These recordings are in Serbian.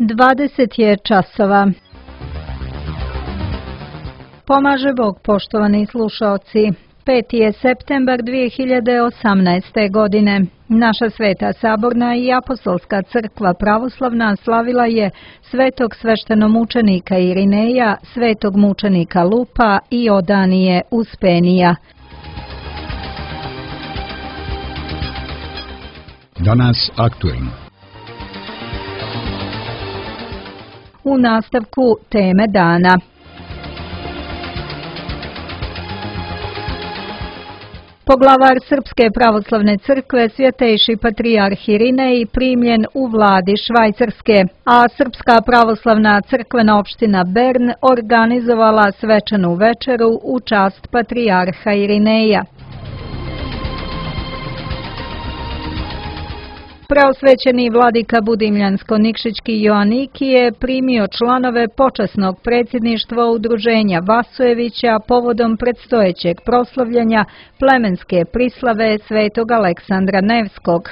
20 je časova. Pomaže Bog, poštovani slušaoci. 5. je septembar 2018. godine. Naša Sveta Saborna i Apostolska crkva pravoslavna slavila je svetog sveštenomučenika Irineja, svetog mučenika Lupa i Odanije Uspenija. Danas aktuelno. U nastavku teme dana. Poglavar Srpske pravoslavne crkve Svjetejši patrijarh Irinej primljen u vladi Švajcarske, a Srpska pravoslavna crkvena opština Bern organizovala svečanu večeru u čast patrijarha Irineja. Preosvećeni vladika Budimljansko-Nikšićki Joaniki je primio članove počasnog predsjedništva udruženja Vasojevića povodom predstojećeg proslavljanja plemenske prislave svetog Aleksandra Nevskog.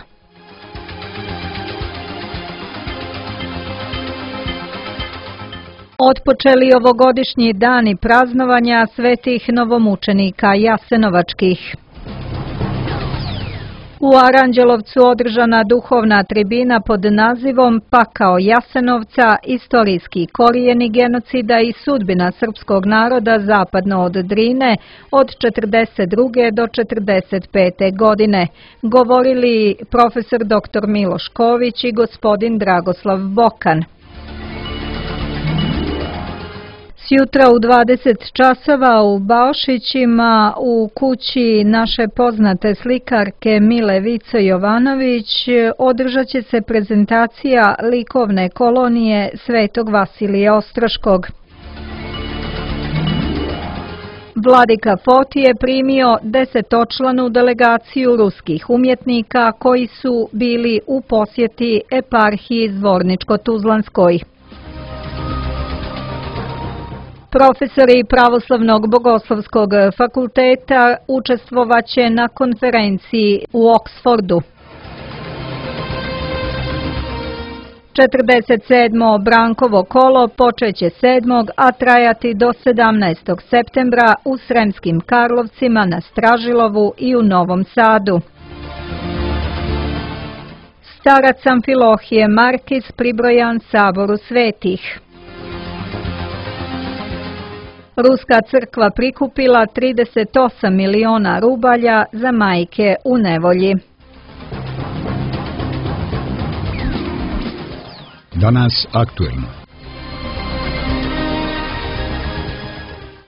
Otpočeli ovogodišnji dani praznovanja svetih novomučenika Jasenovačkih. U Aranđelovcu održana duhovna tribina pod nazivom Pakao Jasenovca, istorijski korijeni genocida i sudbina srpskog naroda zapadno od Drine od 1942. do 1945. godine, govorili profesor dr. Miloš Ković i gospodin Dragoslav Bokan. Jutra u 20 časova u Baošićima u kući naše poznate slikarke Mile Vico Jovanović održat će se prezentacija likovne kolonije Svetog Vasilija Ostroškog. Vladika Foti je primio 10-članu delegaciju ruskih umjetnika koji su bili u posjeti eparhiji Zvorničko-Tuzlanskoj. Profesori Pravoslavnog bogoslovskog fakulteta učestvovaće na konferenciji u Oksfordu. 47. Brankovo kolo počeće 7. a trajati do 17. septembra u Sremskim Karlovcima, na Stražilovu i u Novom Sadu. Starac Amfilohije Markis pribrojan Saboru svetih. Ruska crkva prikupila 38 miliona rubalja za majke u nevolji. Danas aktuelno.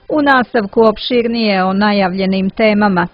U nastavku opširnije o najavljenim temama.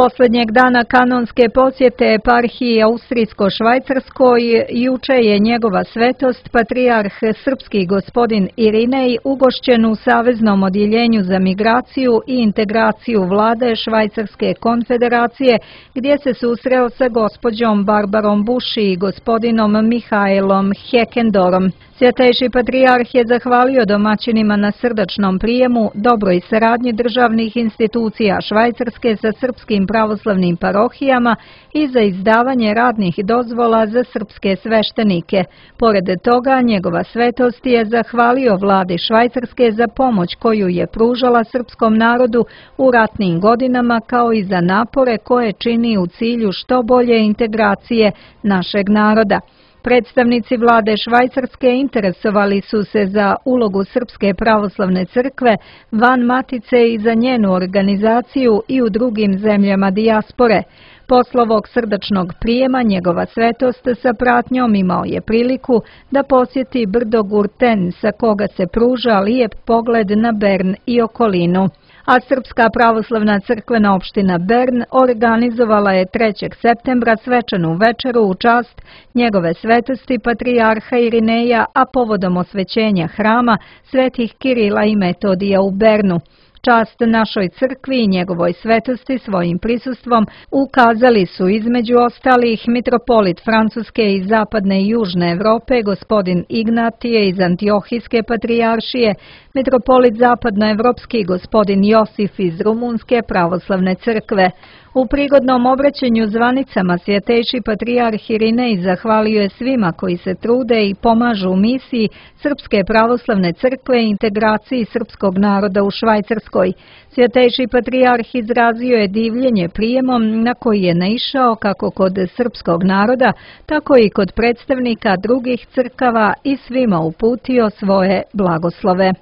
Posljednjeg dana kanonske posjete eparhiji Austrijsko-Švajcarskoj juče je njegova svetost patrijarh srpski gospodin Irinej ugošćen u Saveznom odjeljenju za migraciju i integraciju vlade Švajcarske konfederacije, gdje se susreo sa gospođom Barbarom Buši i gospodinom Mihajlom Hekendorom. Svjetejši patrijarh je zahvalio domaćinima na srdačnom prijemu, dobroj saradnji državnih institucija Švajcarske sa srpskim pravoslavnim parohijama i za izdavanje radnih dozvola za srpske sveštenike. Pored toga, njegova svetost je zahvalio vladi Švajcarske za pomoć koju je pružala srpskom narodu u ratnim godinama, kao i za napore koje čini u cilju što bolje integracije našeg naroda. Predstavnici vlade Švajcarske interesovali su se za ulogu Srpske pravoslavne crkve van matice i za njenu organizaciju i u drugim zemljama dijaspore. Posle ovog srdačnog prijema njegova svetost sa pratnjom imao je priliku da posjeti brdo Gurten, sa koga se pruža lijep pogled na Bern i okolinu. A Srpska pravoslavna crkvena opština Bern organizovala je 3. septembra svečanu večeru u čast njegove svetosti patrijarha Irineja, a povodom osvećenja hrama svetih Kirila i Metodija u Bernu. Čast našoj crkvi i njegovoj svetosti svojim prisustvom ukazali su između ostalih mitropolit Francuske i zapadne i južne Evrope gospodin Ignatije iz Antiohijske patrijaršije, mitropolit zapadnoevropski gospodin Josif iz Rumunske pravoslavne crkve. U prigodnom obraćanju zvanicama svjetejši patrijarh Irinej zahvalio je svima koji se trude i pomažu u misiji Srpske pravoslavne crkve i integraciji srpskog naroda u Švajcarskoj. Svjetejši patrijarh izrazio je divljenje prijemom na koji je naišao kako kod srpskog naroda, tako i kod predstavnika drugih crkava i svima uputio svoje blagoslove.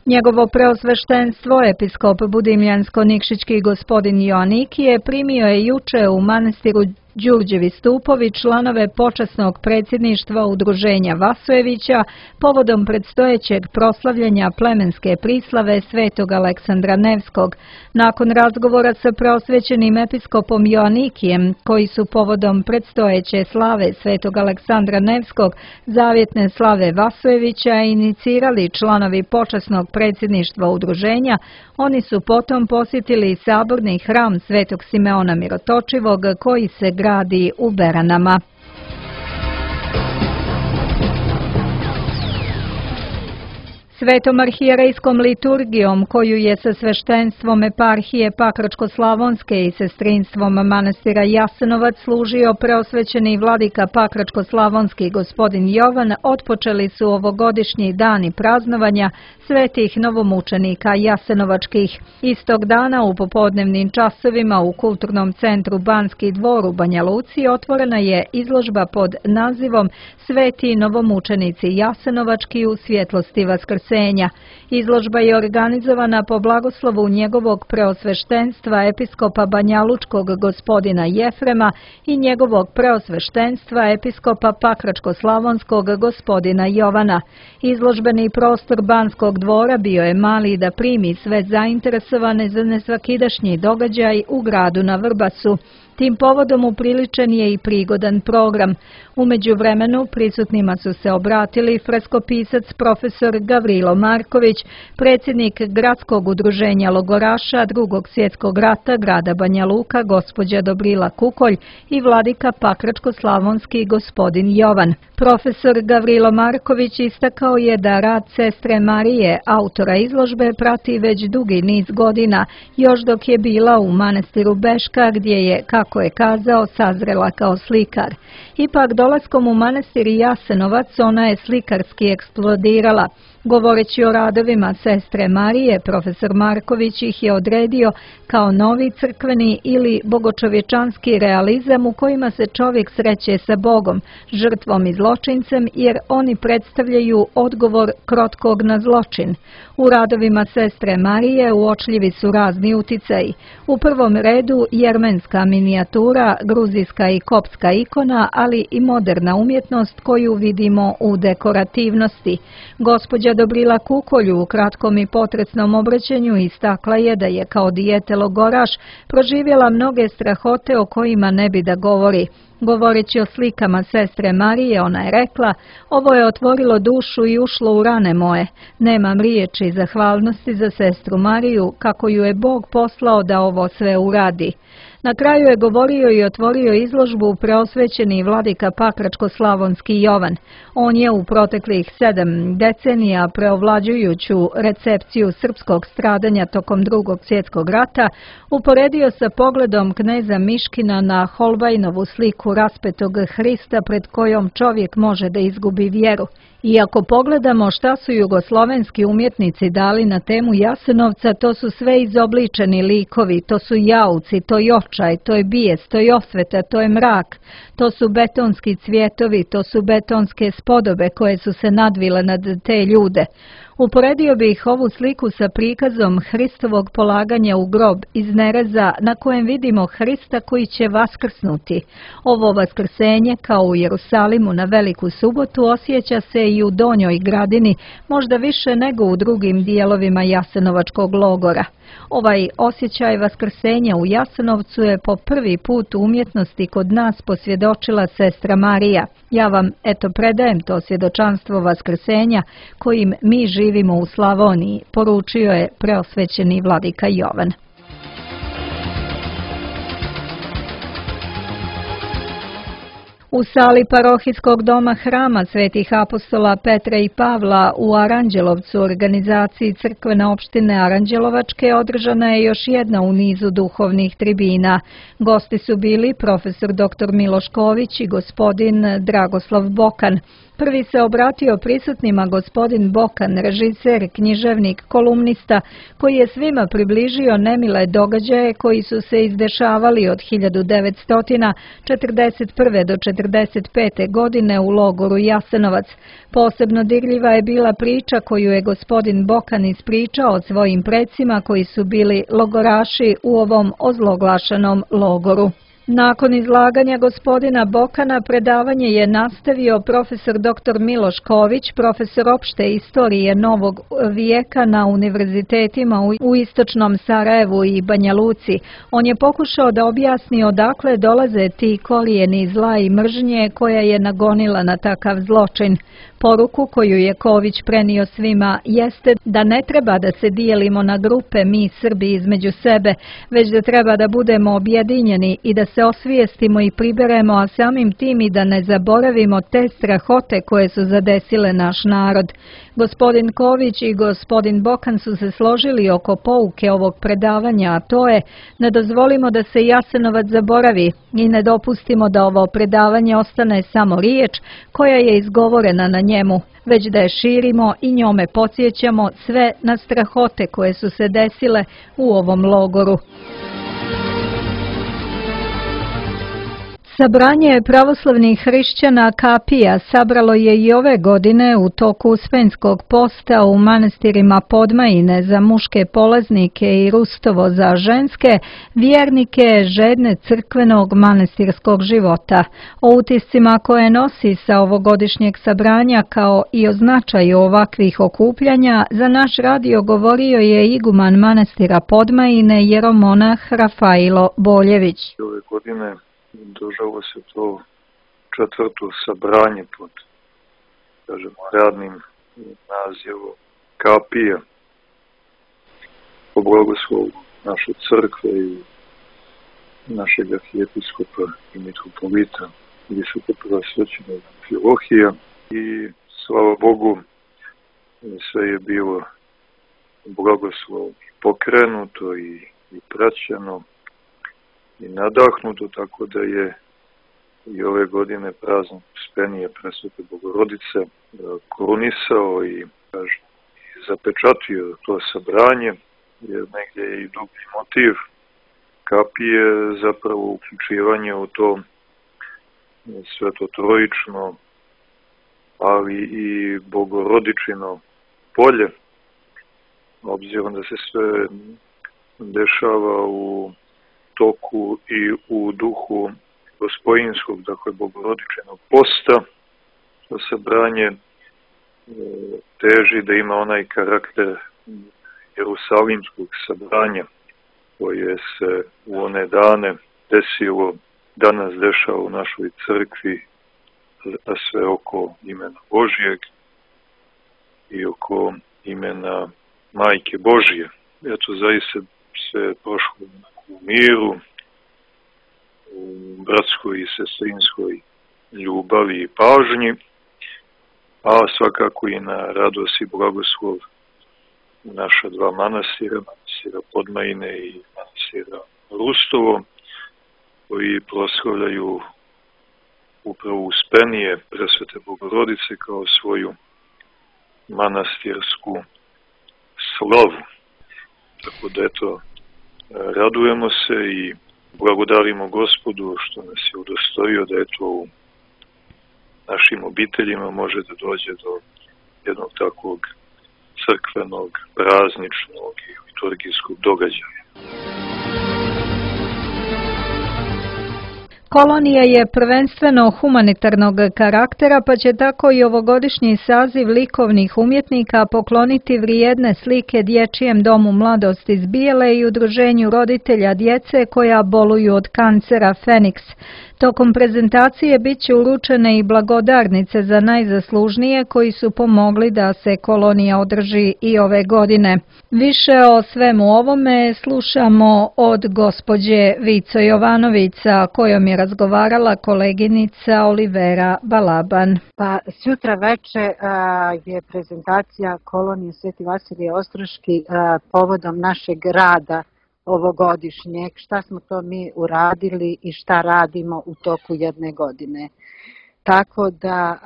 Njegovo preosveštenstvo, episkop Budimljansko-Nikšićki gospodin Joannikije, primio je juče u manastiru Đurđevi stupovi članove počasnog predsjedništva Udruženja Vasojevića povodom predstojećeg proslavljanja plemenske prislave Svetog Aleksandra Nevskog. Nakon razgovora sa preosvećenim episkopom Joannikijem, koji su povodom predstojeće slave Svetog Aleksandra Nevskog, zavjetne slave Vasojevića, inicirali članovi počasnog predsjedništva Udruženja, oni su potom posjetili saborni hram Svetog Simeona Mirotočivog koji se gradi u Beranama. Svetom arhijerejskom liturgijom, koju je sa sveštenstvom eparhije Pakračko-slavonske i sestrinstvom manastira Jasenovac služio preosvećeni vladika Pakračko-slavonski gospodin Jovan, otpočeli su ovogodišnji dani praznovanja svetih novomučenika jasenovačkih. Istog dana u popodnevnim časovima u Kulturnom centru Banski dvor u Banja Luci otvorena je izložba pod nazivom Sveti novomučenici jasenovački u svjetlosti vaskrsenja. Izložba je organizovana po blagoslovu njegovog preosveštenstva episkopa Banjalučkog gospodina Jefrema i njegovog preosveštenstva episkopa Pakračko-slavonskog gospodina Jovana. Izložbeni prostor Banskog dvora bio je mali da primi sve zainteresovane za nesvakidašnji događaj u gradu na Vrbasu. Tim povodom upriličen je i prigodan program. U međuvremenu prisutnima su se obratili freskopisac profesor Gavrilo Marković, predsjednik Gradskog udruženja logoraša Drugog svjetskog rata grada Banja Luka gospođa Dobrila Kukolj i vladika Pakračko-slavonski gospodin Jovan. Profesor Gavrilo Marković istakao je da rad sestre Marije, autora izložbe, prati već dugi niz godina, još dok je bila u manastiru Beška gdje je, kako je kazao, sazrela kao slikar. Ipak dolaskom u manastir Jasenovac ona je slikarski eksplodirala. Govoreći o radovima sestre Marije, profesor Marković ih je odredio kao novi crkveni ili bogočovječanski realizam u kojima se čovjek sreće sa Bogom, žrtvom i zločincem, jer oni predstavljaju odgovor krotkog na zločin. U radovima sestre Marije uočljivi su razni uticaji. U prvom redu jermenska minijatura, gruzijska i koptska ikona, ali i moderna umjetnost koju vidimo u dekorativnosti. Gospođa Dobrila Kukolj u kratkom i potresnom obraćanju istakla je da je kao dijete logoraš proživjela mnoge strahote o kojima ne bi da govori. Govoreći o slikama sestre Marije, ona je rekla: "Ovo je otvorilo dušu i ušlo u rane moje. Nemam riječi zahvalnosti za sestru Mariju, kako ju je Bog poslao da ovo sve uradi." Na kraju je govorio i otvorio izložbu preosvećeni vladika Pakračko-slavonski Jovan. On je u proteklih 7 decenija preovlađujuću recepciju srpskog stradanja tokom Drugog svjetskog rata uporedio sa pogledom kneza Miškina na Holbajnovu sliku raspetog Hrista pred kojom čovjek može da izgubi vjeru. I ako pogledamo šta su jugoslovenski umjetnici dali na temu Jasenovca, to su sve izobličeni likovi, to su jauci, to je očaj, to je bijes, to je osveta, to je mrak, to su betonski cvjetovi, to su betonske spodobe koje su se nadvile nad te ljude. Uporedio bih ovu sliku sa prikazom Hristovog polaganja u grob iz Nereza na kojem vidimo Hrista koji će vaskrsnuti. Ovo vaskrsenje, kao u Jerusalimu na Veliku subotu, osjeća se i u Donjoj Gradini, možda više nego u drugim dijelovima Jasenovačkog logora. Ovaj osjećaj vaskrsenja u Jasenovcu je po prvi put u umjetnosti kod nas posvjedočila sestra Marija. Ja vam predajem to svjedočanstvo vaskrsenja kojim mi živimo u Slavoniji, poručio je preosvećeni vladika Jovan. U sali parohijskog doma Hrama Svetih apostola Petra i Pavla u Aranđelovcu, organizaciji crkvene opštine Aranđelovačke, održana je još jedna u nizu duhovnih tribina. Gosti su bili profesor dr. Miloš Ković i gospodin Dragoslav Bokan. Prvi se obratio prisutnima gospodin Bokan, režiser, književnik, kolumnista, koji je svima približio nemile događaje koji su se izdešavali od 1941. do 1945. godine u logoru Jasenovac. Posebno dirljiva je bila priča koju je gospodin Bokan ispričao o svojim precima koji su bili logoraši u ovom ozloglašenom logoru. Nakon izlaganja gospodina Bokana predavanje je nastavio profesor dr. Miloš Ković, profesor opšte istorije novog vijeka na univerzitetima u istočnom Sarajevu i Banja Luci. On je pokušao da objasni odakle dolaze ti korijeni zla i mržnje koja je nagonila na takav zločin. Poruku koju je Ković prenio svima jeste da ne treba da se dijelimo na grupe mi Srbi između sebe, već da treba da budemo objedinjeni i da se osvijestimo i priberemo, a samim tim i da ne zaboravimo te strahote koje su zadesile naš narod. Gospodin Ković i gospodin Bokan su se složili oko pouke ovog predavanja, a to je: ne dozvolimo da se Jasenovac zaboravi i ne dopustimo da ovo predavanje ostane samo riječ koja je izgovorena na njemu, već da je širimo i njome podsjećamo sve na strahote koje su se desile u ovom logoru. Sabranje pravoslavnih hrišćana kapija sabralo je i ove godine u toku Uspenskog posta u manastirima Podmajine za muške polaznike i Rustovo za ženske, vjernike žedne crkvenog manastirskog života. O utiscima koje nosi sa ovogodišnjeg sabranja kao i o značaju ovakvih okupljanja za naš radio govorio je iguman manastira Podmajine jeromonah Rafailo Boljević. Ove godine održalo se to 4. sabranje pod, radnim nazivom kapija po blagoslovu naše crkve i našeg arhijepiskopa i mitropolita visokopreosvećenog Amfilohija. I slava Bogu, sve je bilo blagoslov pokrenuto i praćeno i nadahnuto, tako da je i ove godine praznik Uspenije Presvete Bogorodice korunisao i zapečatio to sabranje, jer negdje je i dublji motiv kapije zapravo uključivanje u to svetotrojično, ali i bogorodičino polje, obzirom da se sve dešava u toku i u duhu gospojinskog, dakle bogorodičenog posta. To sabranje teži da ima onaj karakter jerusalimskog sabranja koje se u one dane desilo, danas dešava u našoj crkvi, a sve oko imena Božijeg i oko imena Majke Božije. Eto, zaista se prošlo u miru, u bratskoj i sestrinskoj ljubavi i pažnji, a svakako i na radost i blagoslov naša dva manastira, manastira Podmajine i manastira Rustovo, koji proslavljaju upravo Uspenije Presvete Bogorodice kao svoju manastirsku slavu. Tako da eto, radujemo se i blagodarimo Gospodu što nas je udostojio da eto u našim obiteljima može da dođe do jednog takvog crkvenog, prazničnog i liturgijskog događaja. Kolonija je prvenstveno humanitarnog karaktera, pa će tako i ovogodišnji saziv likovnih umjetnika pokloniti vrijedne slike Dječjem domu mladosti iz Bijele i udruženju roditelja djece koja boluju od kancera Feniks. Tokom prezentacije bit će uručene i blagodarnice za najzaslužnije koji su pomogli da se kolonija održi i ove godine. Više o svemu ovome slušamo od gospođe Vico Jovanović, sa kojom je razgovarala koleginica Olivera Balaban. Pa sutra veče je prezentacija kolonije Sveti Vasilije Ostroški povodom našeg rada ovogodišnjeg, šta smo to mi uradili i šta radimo u toku jedne godine. Tako da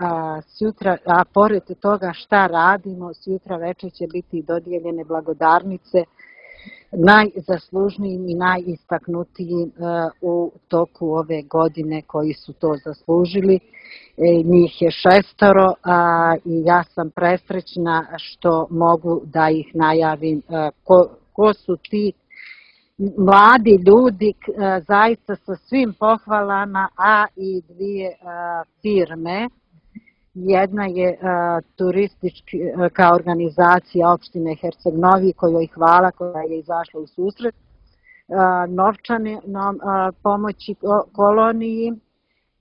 sutra, a pored toga šta radimo, sutra večer će biti dodijeljene blagodarnice najzaslužnijim i najistaknutijim u toku ove godine koji su to zaslužili. Njih je 6 i ja sam presrećna što mogu da ih najavim ko su ti mladi ljudi, zaista sa svim pohvalama, a i dvije firme. Jedna je turistička organizacija opštine Herceg Novi, kojoj hvala, koja je izašla u susret novčane pomoći koloniji,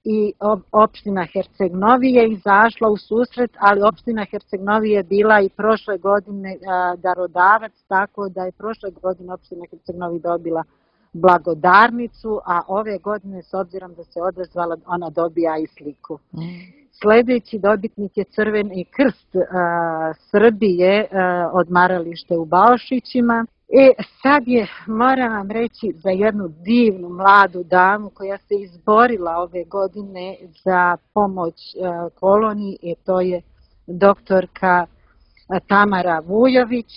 i opština Herceg Novi je izašla u susret, ali opština Herceg Novi je bila i prošle godine darodavac, tako da je prošle godine opština Herceg Novi dobila blagodarnicu, a ove godine, s obzirom da se odazvala, ona dobija i sliku. Sljedeći dobitnik je Crveni krst Srbije, odmaralište u Baošićima. Sad je, moram vam reći, za jednu divnu mladu damu koja se izborila ove godine za pomoć koloniji, i to je doktorka Tamara Vujović.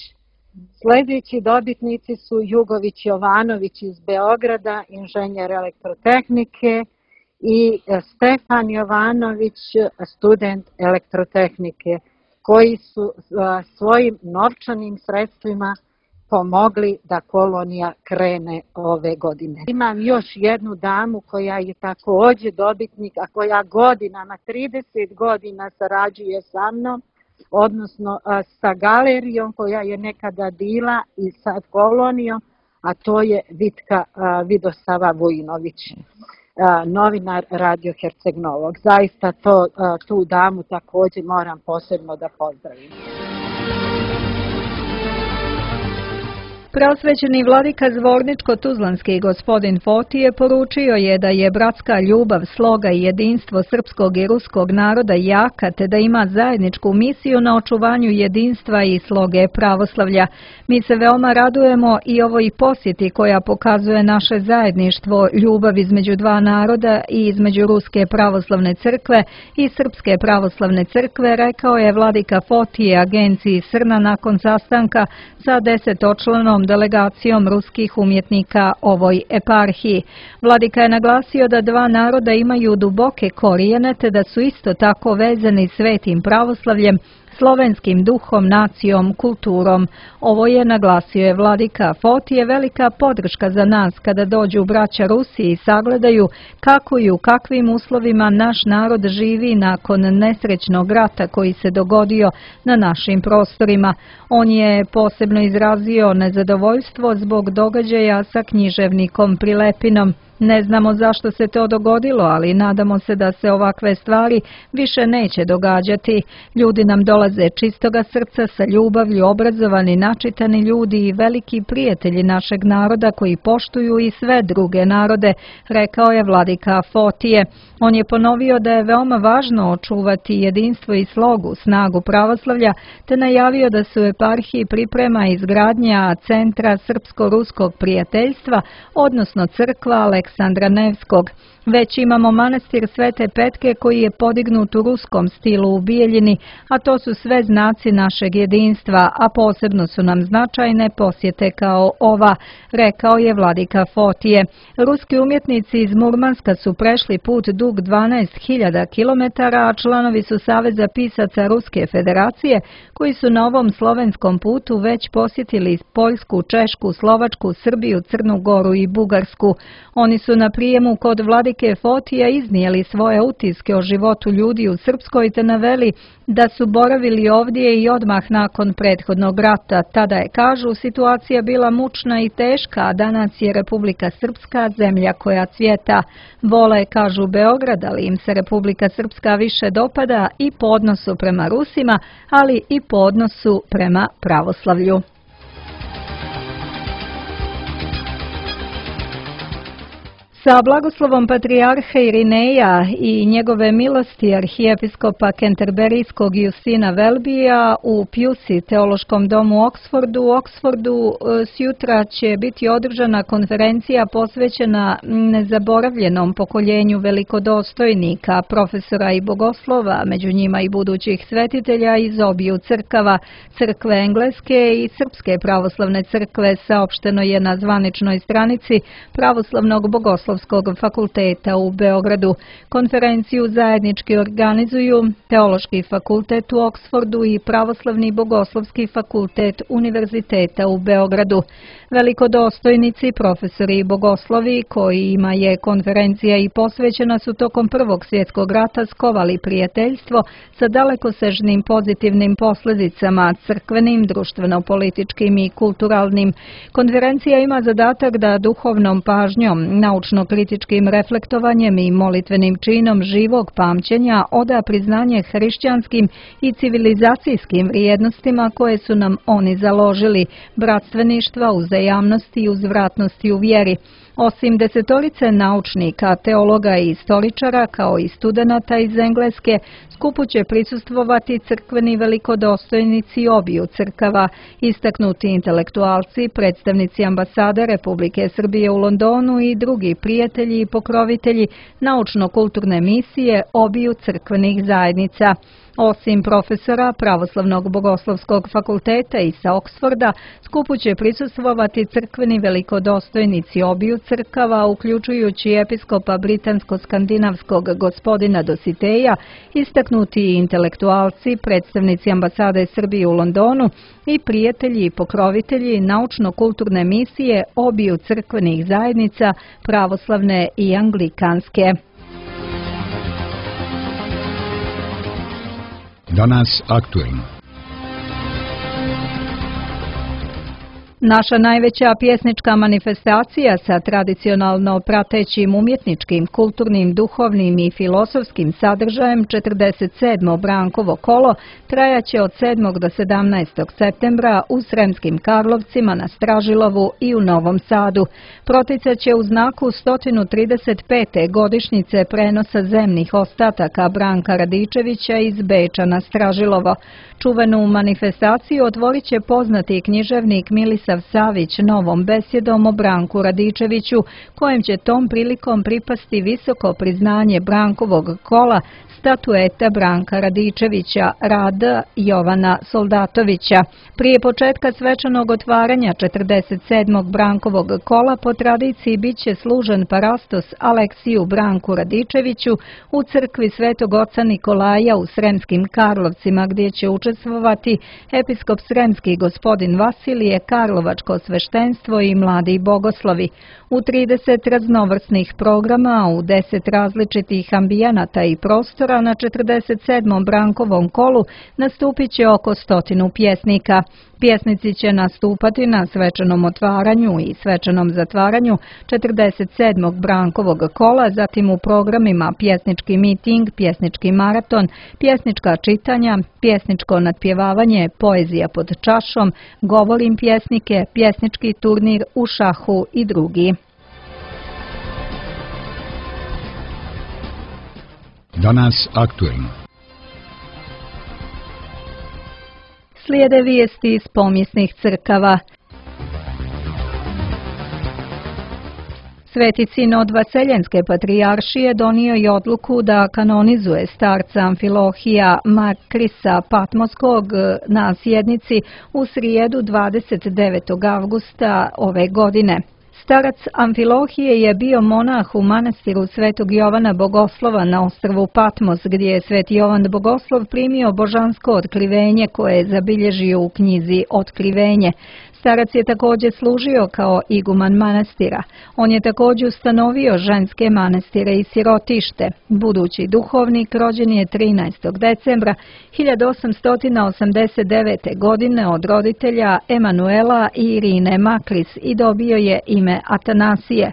Sljedeći dobitnici su Jugović Jovanović iz Beograda, inženjer elektrotehnike, i Stefan Jovanović, student elektrotehnike, koji su svojim novčanim sredstvima pomogli da kolonija krene ove godine. Imam još jednu damu koja je također dobitnik, a koja godinama, 30 godina sarađuje sa mnom, odnosno sa galerijom koja je nekada bila i sa kolonijom, a to je Vitka Vidosava Vujinović, novinar Radio Herceg Novog. Zaista tu damu također moram posebno da pozdravim. Preosvećeni vladika Zvorničko-Tuzlanski gospodin Fotije poručio je da je bratska ljubav, sloga i jedinstvo srpskog i ruskog naroda jaka, te da ima zajedničku misiju na očuvanju jedinstva i sloge pravoslavlja. Mi se veoma radujemo i ovoj posjeti koja pokazuje naše zajedništvo, ljubav između dva naroda i između Ruske pravoslavne crkve i Srpske pravoslavne crkve, rekao je vladika Fotije agenciji Srna nakon sastanka sa 10-članom delegacijom ruskih umjetnika ovoj eparhiji. Vladika je naglasio da dva naroda imaju duboke korijene, te da su isto tako vezani svetim pravoslavljem, slovenskim duhom, nacijom, kulturom. Ovo je, naglasio je vladika Fotije, velika podrška za nas kada dođu braća Rusi i sagledaju kako i u kakvim uslovima naš narod živi nakon nesrećnog rata koji se dogodio na našim prostorima. On je posebno izrazio nezadovoljstvo zbog događaja sa književnikom Prilepinom. Ne znamo zašto se to dogodilo, ali nadamo se da se ovakve stvari više neće događati. Ljudi nam dolaze čistoga srca, sa ljubavlju, obrazovani, načitani ljudi i veliki prijatelji našeg naroda koji poštuju i sve druge narode, rekao je vladika Fotije. On je ponovio da je veoma važno očuvati jedinstvo i slogu, snagu pravoslavlja, te najavio da se u eparhiji priprema izgradnja centra srpsko-ruskog prijateljstva, odnosno crkva Aleksandra Nevskog. Već imamo manastir Svete Petke koji je podignut u ruskom stilu u Bijeljini, a to su sve znaci našeg jedinstva, a posebno su nam značajne posjete kao ova, rekao je vladika Fotije. Ruski umjetnici iz Murmanska su prešli put dug 12.000 km, a članovi su Saveza pisaca Ruske federacije koji su na ovom slovenskom putu već posjetili Poljsku, Češku, Slovačku, Srbiju, Crnu Goru i Bugarsku. Oni su na prijemu kod vladike Fotija iznijeli svoje utiske o životu ljudi u Srpskoj te naveli da su boravili ovdje i odmah nakon prethodnog rata. Tada je, kažu, situacija bila mučna i teška, a danas je Republika Srpska zemlja koja cvjeta. Vole, kažu, Beograd, ali im se Republika Srpska više dopada i po odnosu prema Rusima, ali i po odnosu prema pravoslavlju. Sa blagoslovom patrijarha Irineja i njegove milosti arhijepiskopa Kenterberijskog Justina Welbya u Pusey teološkom domu u Oksfordu sjutra će biti održana konferencija posvećena nezaboravljenom pokoljenju velikodostojnika, profesora i bogoslova, među njima i budućih svetitelja iz obiju crkava, crkve Engleske i Srpske pravoslavne crkve, saopšteno je na zvaničnoj stranici Pravoslavnog bogoslovskog fakulteta u Beogradu. Konferenciju zajednički organizuju Teološki fakultet u Oksfordu i Pravoslavni bogoslovski fakultet Univerziteta u Beogradu. Velikodostojnici, profesori i bogoslovi kojima je konferencija i posvećena su tokom Prvog svjetskog rata skovali prijateljstvo sa dalekosežnim pozitivnim posljedicama, crkvenim, društveno-političkim i kulturalnim. Konferencija ima zadatak da duhovnom pažnjom, naučno-kritičkim reflektovanjem i molitvenim činom živog pamćenja oda priznanje hrišćanskim i civilizacijskim vrijednostima koje su nam oni založili, bratstveništva, uzajamnosti i uzvratnosti u vjeri. Osim desetorice naučnika, teologa i istoričara, kao i studenata iz Engleske, skupu će prisustvovati crkveni velikodostojnici obiju crkava, istaknuti intelektualci, predstavnici ambasade Republike Srbije u Londonu i drugi prijatelji i pokrovitelji naučno-kulturne misije obiju crkvenih zajednica. Osim profesora Pravoslavnog bogoslovskog fakulteta i sa Oksforda, skupu će prisustvovati crkveni velikodostojnici obiju crkava, uključujući episkopa britansko-skandinavskog gospodina Dositeja, istaknuti intelektualci, predstavnici ambasade Srbije u Londonu i prijatelji i pokrovitelji naučno-kulturne misije obiju crkvenih zajednica, pravoslavne i anglikanske. Danas aktuelno. Naša najveća pjesnička manifestacija sa tradicionalno pratećim umjetničkim, kulturnim, duhovnim i filosofskim sadržajem 47. Brankovo kolo trajaće od 7. do 17. septembra u Sremskim Karlovcima, na Stražilovu i u Novom Sadu. Proticat će u znaku 135. godišnjice prenosa zemnih ostataka Branka Radičevića iz Beča na Stražilovo. Čuvenu manifestaciju otvorit će poznati književnik Milisav Savić novom besjedom o Branku Radičeviću, kojem će tom prilikom pripasti visoko priznanje Brankovog kola, statueta Branka Radičevića, rada Jovana Soldatovića. Prije početka svečanog otvaranja 47. Brankovog kola po tradiciji bit će služen parastos Aleksiju Branku Radičeviću u crkvi Svetog oca Nikolaja u Sremskim Karlovcima, gdje će učestvovati episkop sremski gospodin Vasilije, karlovačko sveštenstvo i mladi bogoslovi. U 30 raznovrsnih programa, u 10 različitih ambijenata i prostora na 47. Brankovom kolu nastupit će oko 100 pjesnika. Pjesnici će nastupati na svečanom otvaranju i svečanom zatvaranju 47. Brankovog kola, zatim u programima pjesnički miting, pjesnički maraton, pjesnička čitanja, pjesničko natpjevavanje, poezija pod čašom, govorim pjesnike, pjesnički turnir u šahu i drugi. Danas aktuelno. Slijede vijesti iz pomijesnih crkava. Sveti sinod Vaseljenske patrijaršije donio je odluku da kanonizuje starca Amfilohija Makrisa Patmoskog na sjednici u srijedu 29. avgusta ove godine. Starac Amfilohije je bio monah u manastiru Svetog Jovana Bogoslova na ostrvu Patmos, gdje je Sveti Jovan Bogoslov primio božansko otkrivenje koje je zabilježio u knjizi Otkrivenje. Starac je također služio kao iguman manastira. On je također ustanovio ženske manastire i sirotište. Budući duhovnik rođen je 13. decembra 1889. godine od roditelja Emanuela i Irine Makris i dobio je ime Atanasije.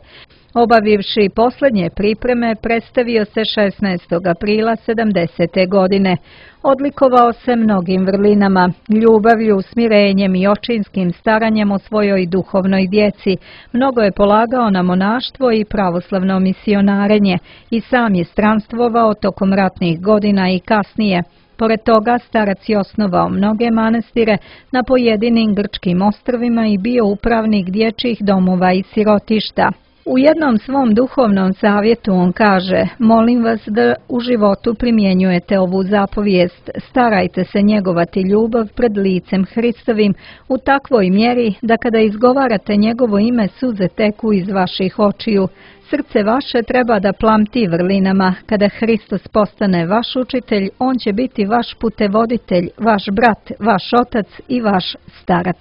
Obavivši posljednje pripreme, predstavio se 16. aprila 70. godine. Odlikovao se mnogim vrlinama, ljubavlju, smirenjem i očinskim staranjem o svojoj duhovnoj djeci. Mnogo je polagao na monaštvo i pravoslavno misionarenje i sam je stranstvovao tokom ratnih godina i kasnije. Pored toga, starac je osnovao mnoge manastire na pojedinim grčkim ostrvima i bio upravnik dječjih domova i sirotišta. U jednom svom duhovnom savjetu on kaže: molim vas da u životu primjenjujete ovu zapovijest, starajte se njegovati ljubav pred licem Hristovim u takvoj mjeri da kada izgovarate njegovo ime suze teku iz vaših očiju. Srce vaše treba da plamti vrlinama. Kada Hristos postane vaš učitelj, on će biti vaš putevoditelj, vaš brat, vaš otac i vaš starac.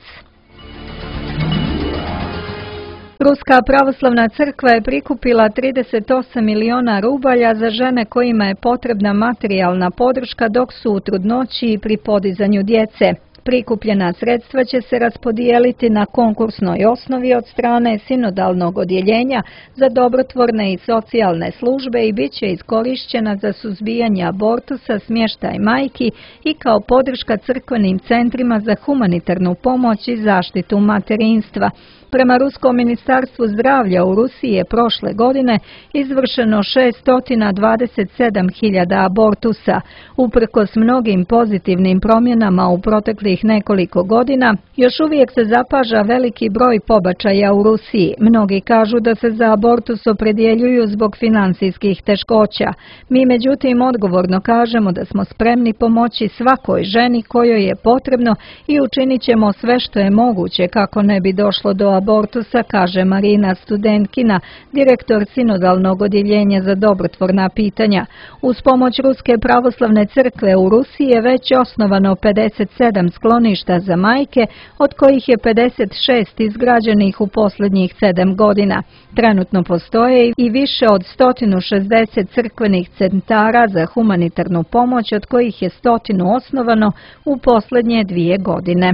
Ruska pravoslavna crkva je prikupila 38 miliona rubalja za žene kojima je potrebna materijalna podrška dok su u trudnoći i pri podizanju djece. Prikupljena sredstva će se raspodijeliti na konkursnoj osnovi od strane sinodalnog odjeljenja za dobrotvorne i socijalne službe i bit će iskorišćena za suzbijanje abortusa, smještaj majki i kao podrška crkvenim centrima za humanitarnu pomoć i zaštitu materinstva. Prema Ruskom ministarstvu zdravlja u Rusiji je prošle godine izvršeno 627.000 abortusa. Uprkos mnogim pozitivnim promjenama u proteklih nekoliko godina, još uvijek se zapaža veliki broj pobačaja u Rusiji. Mnogi kažu da se za abortus opredjeljuju zbog financijskih teškoća. Mi međutim odgovorno kažemo da smo spremni pomoći svakoj ženi kojoj je potrebno i učinit ćemo sve što je moguće kako ne bi došlo do abortusa, kaže Marina Studenkina, direktor sinodalnog odjeljenja za dobrotvorna pitanja. Uz pomoć Ruske pravoslavne crkve u Rusiji je već osnovano 57 skloništa za majke, od kojih je 56 izgrađenih u posljednjih 7 godina. Trenutno postoje i više od 160 crkvenih centara za humanitarnu pomoć, od kojih je 100 osnovano u posljednje 2 godine.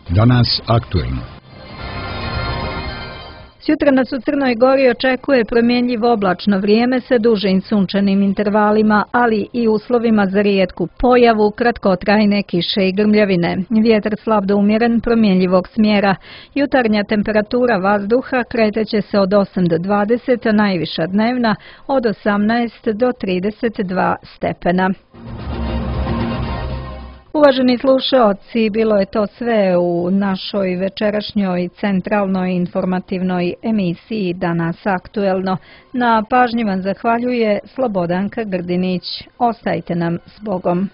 Danas aktuelno. Sutra nas u Crnoj Gori očekuje promjenjivo oblačno vrijeme sa dužim sunčanim intervalima, ali i uslovima za rijetku pojavu kratkotrajne kiše i grmljavine. Vjetar slab do umjeren promjenjivog smjera. Jutarnja temperatura vazduha kreće se od 8 do 20, a najviša dnevna od 18 do 32 stepena. Uvaženi slušaoci, bilo je to sve u našoj večerašnjoj centralnoj informativnoj emisiji Danas aktuelno. Na pažnji vam zahvaljuje Slobodanka Grdinić. Ostajte nam s Bogom.